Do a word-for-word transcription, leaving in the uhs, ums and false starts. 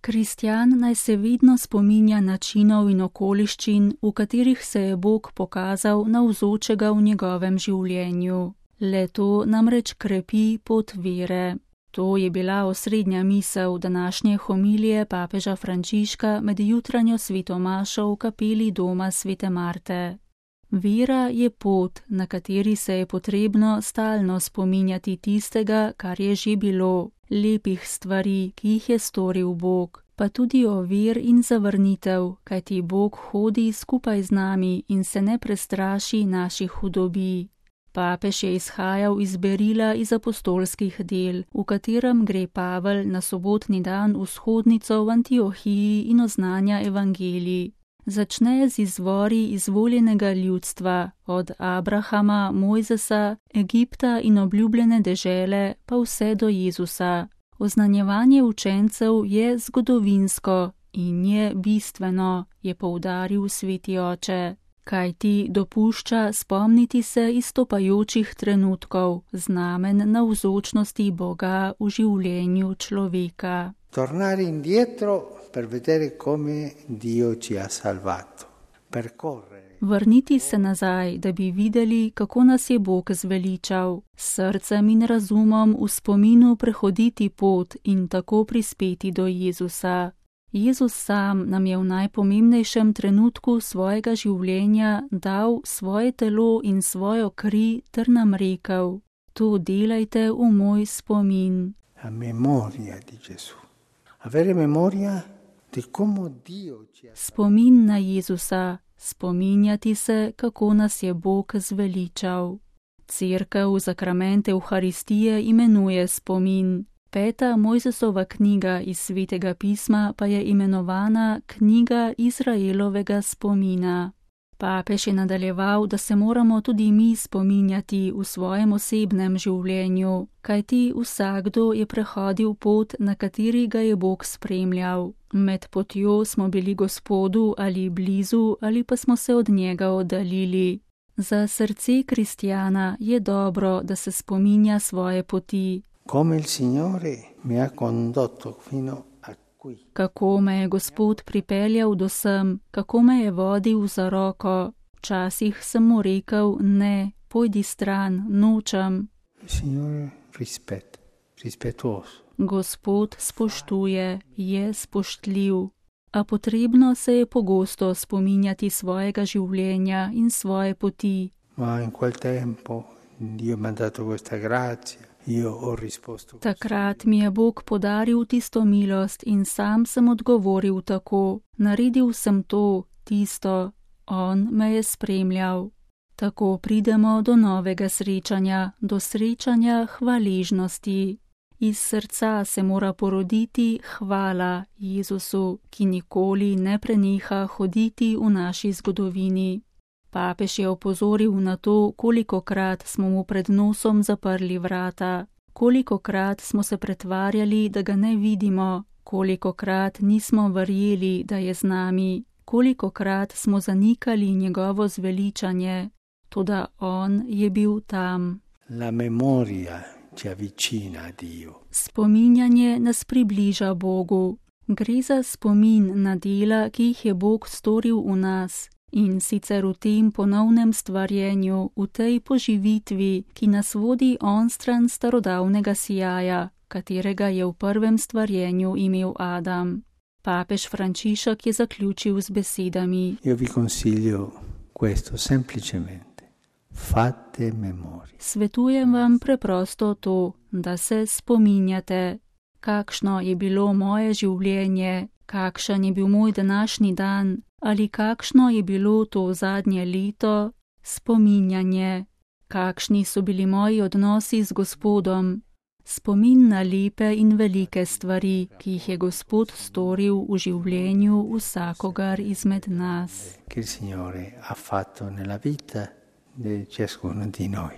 Kristjan naj se vedno spominja načinov in okoliščin, v katerih se je Bog pokazal navzočega v njegovem življenju. Le to namreč krepi pot vere. To je bila osrednja misel današnje homilije papeža Frančiška med jutranjo svetomašo v kapeli doma svete Marte. Vera je pot, na kateri se je potrebno stalno spominjati tistega, kar je že bilo, lepih stvari, ki jih je storil Bog, pa tudi ovir in zavrnitev, kajti Bog hodi skupaj z nami in se ne prestraši naših hudobij. Papež je izhajal iz berila iz apostolskih del, v katerem gre Pavel na sobotni dan vzhodnico v Antiohiji in oznanja evangelij. Začne z izvori izvoljenega ljudstva, od Abrahama, Mojzesa, Egipta in obljubljene dežele, pa vse do Jezusa. Oznanjevanje učencev je zgodovinsko in je bistveno, je poudaril sveti oče, kajti dopušča spomniti se izstopajočih trenutkov, znamen navzočnosti Boga v življenju človeka. Tornare indietro per vedere come Dio ci ha salvato. Percorrere. Vrniti se nazaj, da bi videli, kako nas je Bog zveličal, s srcem in razumom v spominu prehoditi pot in tako prispeti do Jezusa. Jezus sam nam je v najpomembnejšem trenutku svojega življenja dal svoje telo in svojo kri ter nam rekel: to delajte v moj spomin. A memoria di Gesù. Avere memoria di come Dio ci ha Spomin na Jezusa, spominjati se, kako nas je Bog zveličal. Cerkev zakrament Evharistije imenuje spomin. Peta Mojzesova knjiga iz Svetega pisma pa je imenovana knjiga Izraelovega spomina. Papež je nadaljeval, da se moramo tudi mi spominjati v svojem osebnem življenju, kajti vsakdo je prehodil pot, na kateri ga je Bog spremljal. Med potjo smo bili Gospodu ali blizu ali pa smo se od njega oddaljili. Za srce kristjana je dobro, da se spominja svoje poti. Come il Signore mi ha condotto fino a qui. Kako me je Gospod pripeljal do sem, kako me je vodil za roko. Včasih sem mu rekel: ne, pojdi stran, nočem. Il Signore rispetta, rispettoso. Gospod spoštuje, je spoštljiv. A potrebno se je pogosto spominjati svojega življenja in svoje poti. Ma in quel tempo Dio mi ha dato questa grazia. Io ho risposto. Takrat mi je Bog podaril tisto milost in sam sem odgovoril tako. Naredil sem to, tisto. On me je spremljal. Tako pridemo do novega srečanja, do srečanja hvaležnosti. Iz srca se mora poroditi hvala Jezusu, ki nikoli ne preneha hoditi v naši zgodovini. Papež je opozoril na to, kolikokrat smo mu pred nosom zaprli vrata, kolikokrat smo se pretvarjali, da ga ne vidimo, kolikokrat nismo verjeli, da je z nami, kolikokrat smo zanikali njegovo zveličanje, toda on je bil tam. La memoria ci avvicina a Dio. Spominjanje nas približa Bogu. Gre za spomin na dela, ki jih je Bog storil v nas. In sicer v tem ponovnem stvarjenju, v tej poživitvi, ki nas vodi onstran starodavnega sijaja, katerega je v prvem stvarjenju imel Adam. Papež Frančišek je zaključil z besedami: Io vi consiglio questo semplicemente. Fate memoria. Svetujem vam preprosto to, da se spominjate, kakšno je bilo moje življenje, kakšen je bil moj današnji dan, ali kakšno je bilo to zadnje leto, spominjanje, kakšni so bili moji odnosi z Gospodom, spomin na lepe in velike stvari, ki jih je Gospod storil v življenju vsakogar izmed nas. Che il Signore ha fatto nella vita di ciascuno di noi.